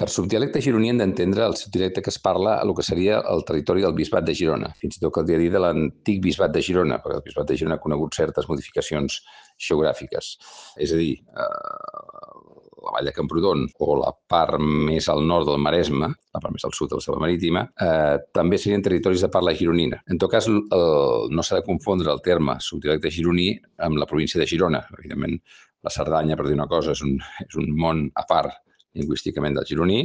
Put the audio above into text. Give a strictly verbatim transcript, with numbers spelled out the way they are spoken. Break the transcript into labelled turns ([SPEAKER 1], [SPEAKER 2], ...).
[SPEAKER 1] Per subdialecte gironí hem d'entendre el subdialecte que es parla a el que seria el territori del Bisbat de Girona, fins i tot caldria dir de l'antic Bisbat de Girona, perquè el Bisbat de Girona ha conegut certes modificacions geogràfiques. És a dir, eh, la vall de Camprodon o la part més al nord del Maresme, la part més al sud de la selva marítima, eh, també serien territoris de parla gironina. En tot cas, el, no s'ha de confondre el terme subdialecte gironí amb la província de Girona. Evidentment, la Cerdanya, per dir una cosa, és un, és un món a part lingüísticament del gironí,